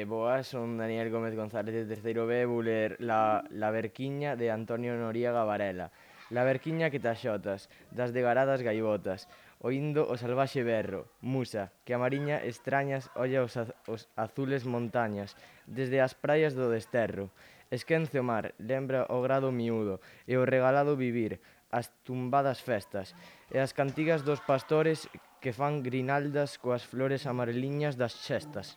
Boas, son Daniel Gómez González de terceiro B, vou ler La Verquiña de Antonio Noriega Varela. La verquiña que te axotas, das degaradas gaivotas, oindo o salvaxe berro, musa, que a mariña extrañas olla os azules montañas, desde as praias do desterro. Esquence o mar, lembra o grado miúdo, e o regalado vivir, as tumbadas festas, e as cantigas dos pastores que fan grinaldas coas flores amareliñas das xestas.